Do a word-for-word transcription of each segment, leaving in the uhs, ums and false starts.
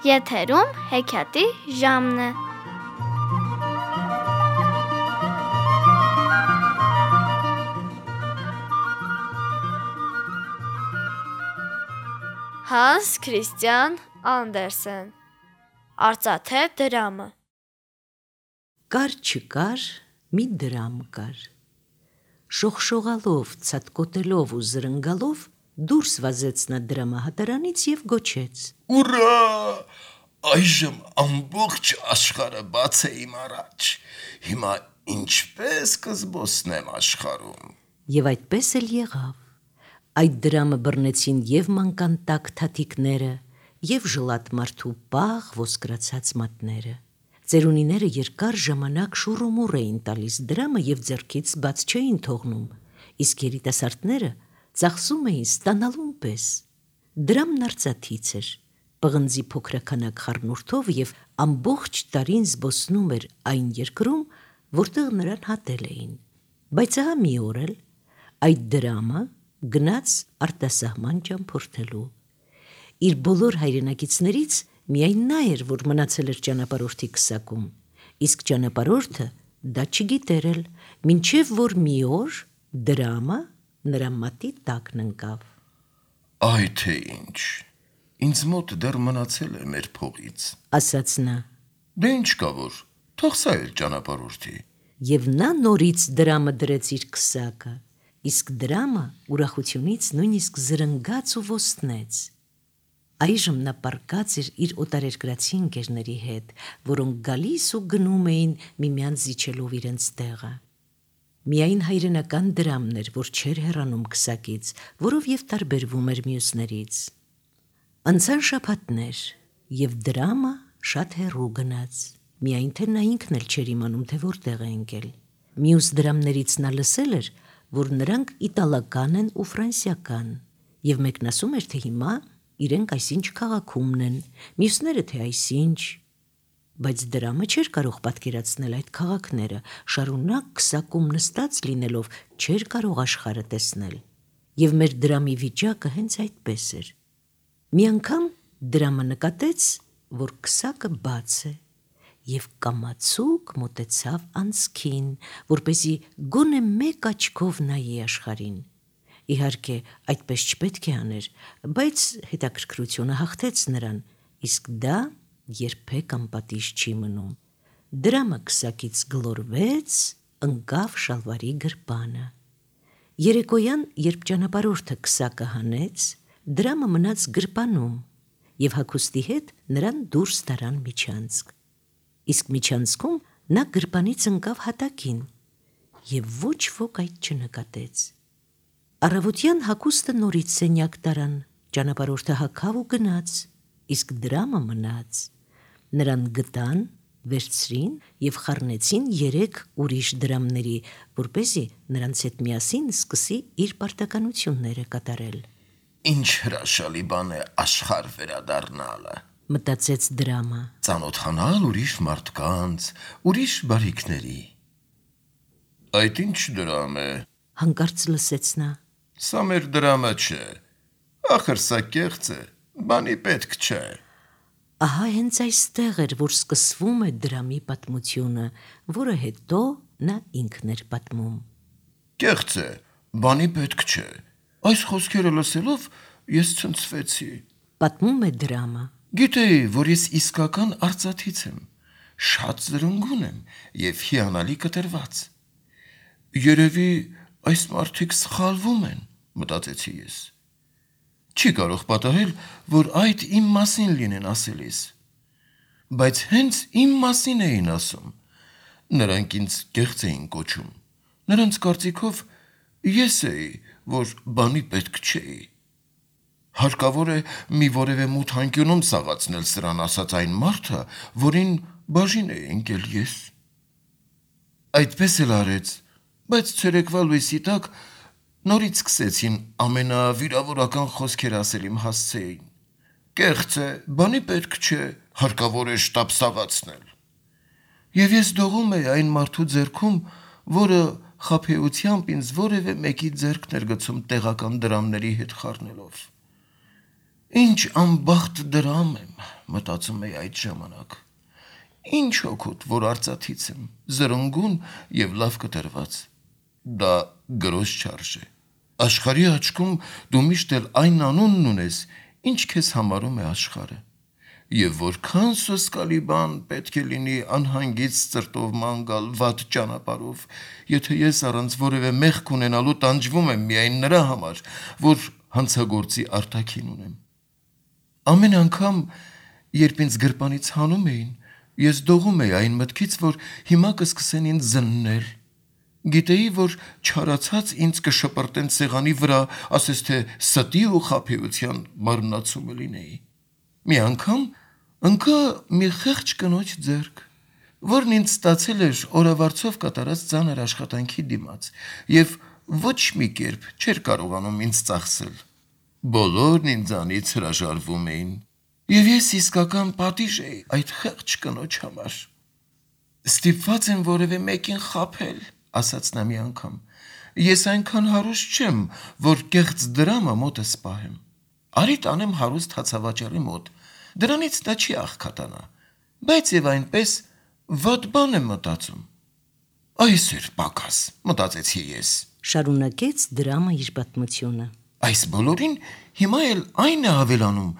Եթերում հեքիաթի ժամն է։ Հանս Քրիստիան Անդերսեն Արծաթե դրամը։ Կար չկար, մի դրամ կար։ Շողշողալով, ցատկոտելով ու զրնգալով դուրս վազեց նա դրամահատարանից և գոչեց. Ուրա! Այժմ ամբողջ աշխարհը բաց է իմ առաջ։ Հիմա ինչպես կզբոսնեմ աշխարհում։ Եվ այդպես էլ եղավ։ Այդ դրամը բռնեցին և մանկան տաք թաթիկները, և ժլատ մարդու պաղ ոսկրացած մատները։ Ծերունիները երկար ժամանակ շուռումուռ էին տալիս դրամը և ձեռքից բաց չէին թողնում, իսկ երիտասարդները ծախսում էին ստանալուն պես։ Դրամն արծաթից էր, պղնձի փոքրաքանակ խառնուրդով և ամբողջ տարին զբոսնում էր այն երկրում, որտեղ նրան հատել էին։ Բայց ահա մի օր էլ այդ դրամը գնաց արտասահման ճամփորդելու։ Իր բոլոր հայրենակիցներից միայն նա էր, որ մնացել էր ճանապարհորդի քսակում, իսկ ճանապարհորդը դա չգիտեր էլ, մինչև որ մի օր դրամը նրա մատի տակն ընկավ։ Այ թե ինչ, ինձ մոտ դեռ մնացել է մեր փողից, ասաց նա։ Դե ինչ կա որ, թող սա էլ ճանապարհորդի։ Եվ նա նորից դրամը դրեց իր քսակը, իսկ դրամը ուրախությունից նույնիսկ զրնգաց ու ոստնեց։ Այժմ նա պառկած էր իր օտարերկրացի ընկերների հետ, որոնք գալիս ու գնում էին միմյանց զիջելով իրենց տեղը։ Միայն հայրենական դրամն էր, որ չէր հեռանում քսակից, որով և տարբերվում էր մյուսներից։ Անցան շաբաթներ, և դրամը շատ հեռու գնաց, միայն թե նա ինքն էլ չէր իմանում, թե որտեղ է ընկել։ Մյուս դրամներից նա լսել էր, որ նրանք իտալական են ու ֆրանսիական, և մեկն ասում էր, թե հիմա իրենք այսինչ քաղաքումն են, մյուսները, թե այսինչ, բայց դրամը չէր կարող պատկերացնել այդ քաղաքները, շարունակ քսակում նստած լինելով չէր կարող աշխարհը տեսնել, և մեր դրամի վիճակը հենց այդպես էր։ Մի անգամ դրամը նկատեց, որ քսակը բաց է, և կամացուկ մոտեցավ անցքին, որպեսզի գոնե մեկ աչքով նայի աշխարհին։ Իհարկե, այդպես չպետք է աներ, բայց հետաքրքրությունը հաղթեց նրան, իսկ դա երբեք անպատիժ չի մնում։ Դրամը քսակից գլորվեց, ընկավ շալվարի գրպանը։ Երեկոյան, երբ ճանապարհորդը քսակը հանեց, դրամը մնաց գրպանում, և հագուստի հետ նրան դուրս տարան միջանցք։ Իսկ միջանցքում նա գրպանից ընկավ հատակին, և ոչ ոք այդ չնկատեց։ Առավոտյան հագուստը նորից սենյակ տարան, ճանապարհորդը հագավ ու գնաց, իսկ դրամը մնաց։ Նրան գտան, վերցրին և խառնեցին երեք ուրիշ դրամների, որպեսզի նրանց հետ միասին սկսի իր պարտականությունները կատարել։ Ինչ հրաշալի բան է աշխարհ վերադառնալը, մտածեց դրամը։ Ծանոթանալ ուրիշ մարդկանց, ուրիշ բարիքների։ Այդ ինչ դրամ է, հանկարծ լսեց նա։ Սա մեր դրամը չէ, ախր սա կեղծ է, բանի պետք չէ։ Ահա հենց այստեղ էր, որ սկսվում է դրամի պատմությունը, որը հետո նա ինքն էր պատմում։ Կեղծ է, բանի պետք չէ, այս խոսքերը լսելով ես ցնցվեցի, պատմում է դրամը։ Գիտեի, որ ես իսկական արծաթից եմ, շատ զրնգուն եմ և հիանալի կտրված։ Երևի այս մարդիկ սխալվում են, մտածեցի ես։ Չի կարող պատահել, որ այդ իմ մասին լինեն ասելիս։ Բայց հենց իմ մասին էին ասում։ Նրանք ինձ կեղծ էին կոչում։ Նրանց կարծիքով ես էի, որ բանի պետք չէի։ Հարկավոր է մի որևէ մութ անկյունում սաղացնել սրան ասած այն մարդը, որին բաժին էի ընկել ես։ Այդպես էլ արեց, բայց ցերեկվա լույսի տակ նորից սկսեցին ամենավիրավորական խոսքեր ասել իմ հասցեին։ Կեղծ է, բանի պետք չէ, հարկավոր է շտապ սաղացնել։ Եվ ես դողում էի այն մարդու ձեռքում, որը խաբեությամբ ինձ որևէ մեկի ձեռքն էր գցում տեղական դրամների հետ խառնելով։ Ինչ անբախտ դրամ եմ, մտածում էի այդ ժամանակ։ Ինչ օգուտ, որ արծաթից եմ, զրնգուն եւ լավ կտրված։ Դա գրոզ չարժե։ Աշխարհի աչքում դու միշտ էլ այն անունն ունես, ինչ քեզ համարում է աշխարհը։ Եվ որքան սոսկալի բան պետք է լինի անհանգից ծրտով մանգալ վատ ճանապարհով, եթե ես առանց որևէ մեղք ունենալու տանջվում եմ միայն նրա համար, որ հանցագործի արտաքին ունեմ։ Ամեն անգամ, երբ ինձ գրպանից հանում էին, ես դողում էի այն մտքից, որ հիմա կսկսեն ինձ զննել։ Գիտեի, որ չարացած ինձ կշպրտեն սեղանի վրա, ասես թե ստի ու խաբեության մարմնացումը լինեի։ Մի անգամ ընկա մի խեղճ կնոջ ձեռք, որն ինձ ստացել էր օրավարձով կատարած ծանր աշխատանքի դիմաց, եւ ոչ մի կերպ չէր կարողանում ինձ ծախսել։ Բոլորն ինձանից հրաժարվում էին, եւ ես իսկական պատիժ էի այդ խեղճ կնոջ համար։ Ստիպված եմ որևէ մեկին խաբել, ասաց նա մի անգամ։ Ես այնքան հարուստ չեմ, որ կեղծ դրամը մոտս պահեմ։ Արի տանեմ հարուստ հացավաճառի մոտ, դրանից նա չի աղքատանա, բայց եւ այնպես վատ բան եմ մտածում։ Այս էր պակաս, մտածեցի ես։ Շարունակեց դրամը իր պատմությունը։ Այս բոլորին հիմա էլ այն է ավելանում,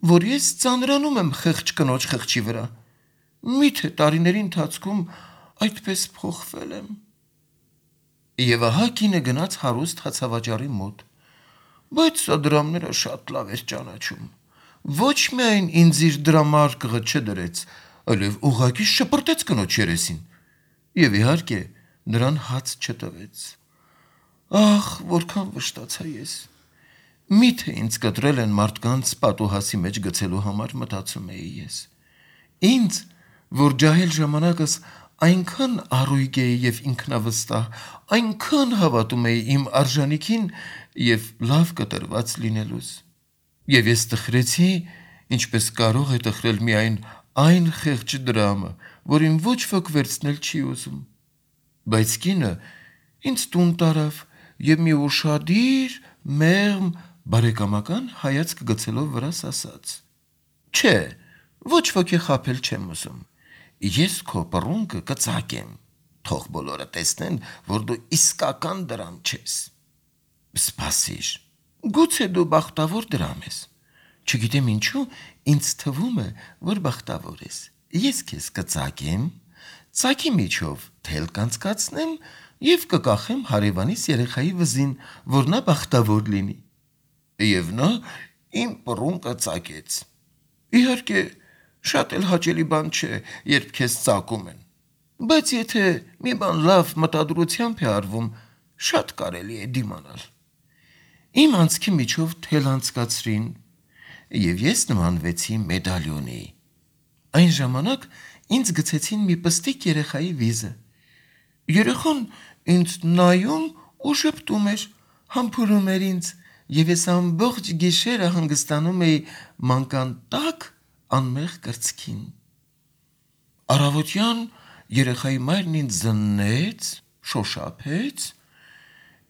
որ ես ծանրանում եմ խեղճ կնոջ խղճի վրա։ Միթե տարիների ընթացքում այդպես փոխվել եմ։ Եվ ահա կինը գնաց հարուստ հացավաճառի մոտ, բայց սա դրամները շատ լավ էր ճանաչում։ Ոչ միայն ինձ իր դրամարկղը չդրեց, այլև ուղղակի շպրտեց կնոջ երեսին։ Եվ իհարկե նրան հաց չտվեց։ Ախ, որքան վշտացա ես։ Միթե ինձ կտրել են մարդկանց պատուհասի մեջ գցելու համար, մտածում էի ես։ Ինձ, որ ջահել ժամանակս այնքան առույգ էի եւ ինքնավստահ, այնքան հավատում էի իմ արժանիքին եւ լավ կտրված լինելուս։ Եվ ես տխրեցի, ինչպես կարող է տխրել միայն այն խեղճ դրամը, որին ոչ ոք վերցնել չի ուզում։ Բայց կինը ինձ տուն տարավ եւ մի ուշադիր, մեղմ, բարեկամական հայացք գցելով վրաս ասաց. Չէ, ոչ ոքի խաբել չեմ ուզում։ Ես քո պռունկը կծակեմ, թող բոլորը տեսնեն, որ դու իսկական դրամ չես։ Սպասիր, գուցե դու բախտավոր դրամ ես։ Չգիտեմ ինչու, ինձ թվում է, որ բախտավոր ես։ Ես քեզ կծակեմ, ծակի միջով թել կանցկացնեմ եւ կկախեմ հարևանիս երեխայի վզին, որ նա բախտավոր լինի։ Եվ նա իմ պռունկը ծակեց։ Իհարկե, շատ էլ հաճելի բան չէ, երբ քեզ ծակում են։ Բայց եթե մի բան լավ մտադրությամբ է արվում, շատ կարելի է դիմանալ։ Իմ անցքի միջով թել անցկացրին, եւ ես նմանվեցի մեդալյոնի։ Այն ժամանակ ինձ գցեցին մի պստիկ երեխայի վիզը։ Երեխան ինձ նայում ու շփտում էր, համբուրում էր ինձ, եւ ես ամբողջ գիշերը հանգստանում էի մանկան տակ անմեղ կրծքին։ Առավոտյան երեխայի մայրն ինձ զննեց, շոշափեց,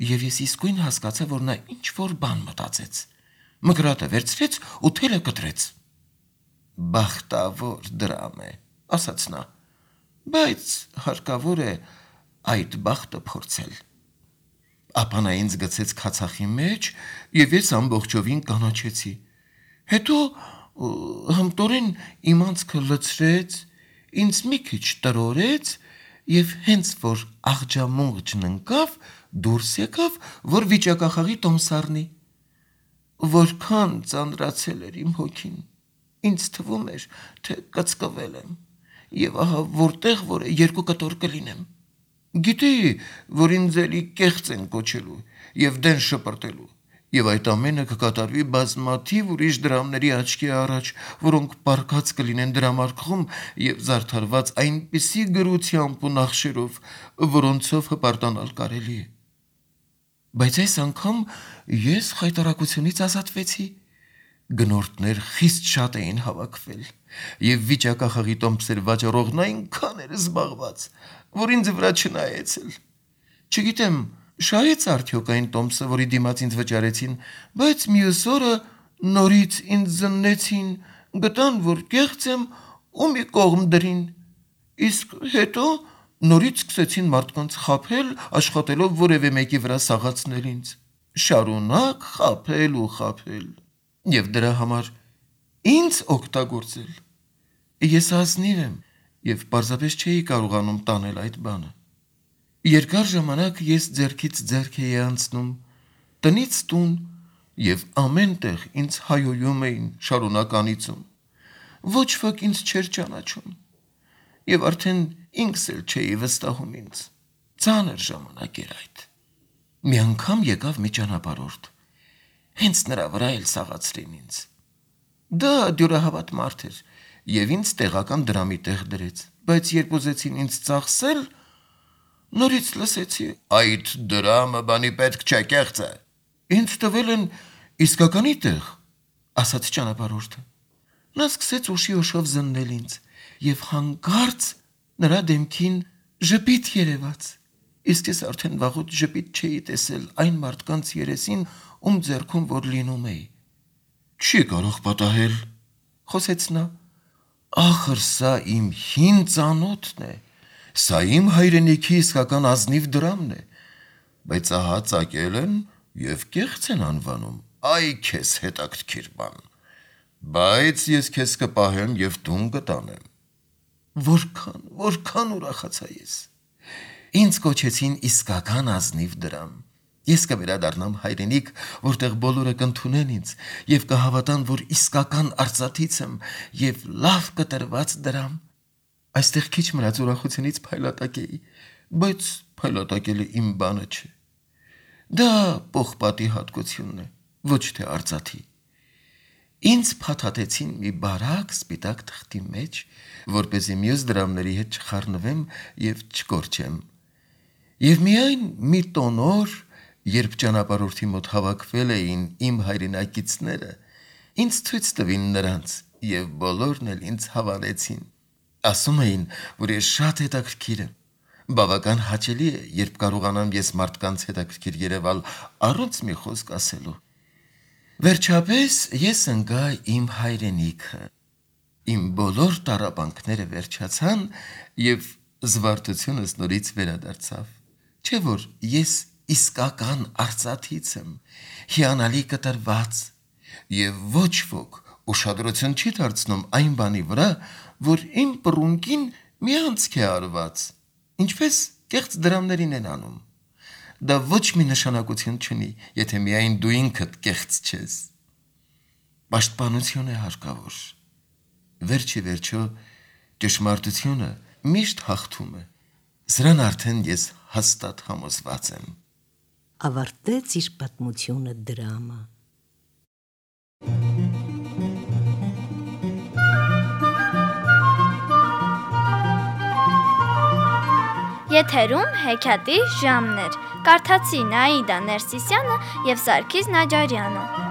եւ ես իսկույն հասկացա, որ նա ինչ-որ բան մտածեց։ Մկրատը վերցրեց ու թելը կտրեց։ Բախտավոր դրամ է, ասաց նա, բայց հարկավոր է այդ բախտը փորձել։ Ապա նա ինձ գցեց քացախի մեջ եւ ես ամբողջովին կանաչեցի։ Հետո հմտորեն իմ անցքը լցրեց, ինձ մի քիչ տրորեց եւ հենց որ աղջամուղջն ընկավ, դուրս եկավ, որ վիճակախաղի տոմսառնի։ Որքան ծանրացել էր իմ հոգին, ինձ թվում էր, թե կծկվել եմ, եւ ահա որտեղ որ երկու կտոր կլինեմ։ Գիտեի, որ ինձ էլի կեղծ են կոչելու եւ դեն շպրտելու, եւ այդ ամենը կկատարվի բազմաթիվ ուրիշ դրամների աչքի առաջ, որոնք պառկած կլինեն դրամարկղում եւ զարդարված այնպիսի գրությամբ ու նախշերով, որոնցով հպարտանալ կարելի է։ Բայց այս անգամ ես խայտարակությունից ազատվեցի։ Գնորդներ խիստ շատ էին հավաքվել, եւ վիճակախաղի տոմսեր վաճառողն այնքան էր զբաղված, որ ինձ վրա չնայեց էլ։ Չգիտեմ, շահեց արդյոք այն տոմսը, որի դիմաց ինձ վճարեցին, բայց մյուս օրը Նորից ինձ զննեցին, գտան, որ կեղծ եմ ու մի կողմ դրին, իսկ հետո նորից սկսեցին մարդկանց խաբել, աշխատելով որևէ մեկի վրա սաղացնել ինձ, շարունակ խաբել ու խաբել, և դրա համար ինձ օգտագործել։ Ես ազնիվ եմ և պարզապես չէի կարողանում տանել այդ բանը։ Երկար ժամանակ ես ձեռքից ձեռք էի անցնում, տնից տուն, և ամեն տեղ ինձ հայոյում էին շարունակ անիծում, ոչ ոք ինձ չէր ճանաչում, և արդեն ինքս էլ չէի վստահում ինձ, ծանր ժամանակ էր այդ։ Մի անգամ եկավ մի ճանապարհորդ, հենց նրա վրա էլ սաղացրին ինձ։ Դա դյուրահավատ մարդ էր և ինձ տեղական դրամի տեղ դրեց, բայց երբ ուզեցին ինձ ծախսել, նորից լսեցի. «Այդ դրամը բանի պետք չէ, կեղծ է»։ «Ինձ տվել են իսկականի տեղ», ասաց ճանապարհորդը։ Նա սկսեց ուշի ուշով զննել ինձ, և հանկարծ նրա դեմքին ժպիտ երևաց, իսկ ես արդեն վաղուց ժպիտ չէի տեսել այն մարդկանց երեսին, ում ձեռքում որ լինում էի։ «Չի կարող պատահել», խոսեց նա, «ախր սա իմ հին ծանոթն է, սա իմ հայրենիքի իսկական ազնիվ դրամն է, բայց ահա ծակել են և կեղծ են անվանում, այ քեզ հետաքրքիր բան, բայց ես քեզ կպահեմ և տուն կտանեմ»։ Որքան, որքան ուրախացա ես։ Ինձ կոչեցին իսկական ազնիվ դրամ։ Ես կվերադառնամ հայրենիք, որտեղ բոլորը կընդունեն ինձ և կհավատան, որ իսկական արծաթից եմ և լավ կտրված դրամ։ Այստեղ քիչ մնաց ուրախությունից փայլատակեի, բայց փայլատակելը իմ բանը չէ։ Դա պողպատի հատկությունն է, ոչ թե արծաթի։ Ինձ փաթաթեցին մի բարակ սպիտակ թղթի մեջ, որպեսզի մյուս դրամների հետ չխառնվեմ և չկորչեմ։ Եվ միայն մի տոն օր, երբ ճանապարհորդի մոտ հավաքվել էին իմ հայրենակիցները, ինձ ցույց տվին նրանց, և բոլորն էլ ինձ հավանեցին։ Ասում էին, որ ես շատ հետաքրքիր եմ։ Բավական հաճելի է, երբ կարողանամ ես մարդկանց հետաքրքիր երևալ առանց մի խոսք ասելու։ Վերջապես ես ընկա իմ հայրենիքը։ Իմ բոլոր տառապանքները վերջացան, և զվարթությունս նորից վերադարձավ։ Չէ՞ որ ես իսկական արծաթից եմ, հիանալի կտրված, և ոչ ոք ուշադրություն չի դարձնում այն բանի վրա, որ իմ պռունկին մի անցք է արված, ինչպես կեղծ դրամներին են անում։ Դա ոչ մի նշանակություն չունի, եթե միայն դու ինքդ կեղծ չես։ Պաշտպանություն է հարկավոր։ Վերջ ի վերջո ճշմարտությունը միշտ հաղթում է։ Սրան արդեն ես հաստատ համոզված եմ։ Ավարտեց իր պատմությունը դրամը։ Եթերում հեքիաթի ժամն էր։ Կարդացին Աիդա Ներսիսյանը և Սարգիս Նաջարյանը։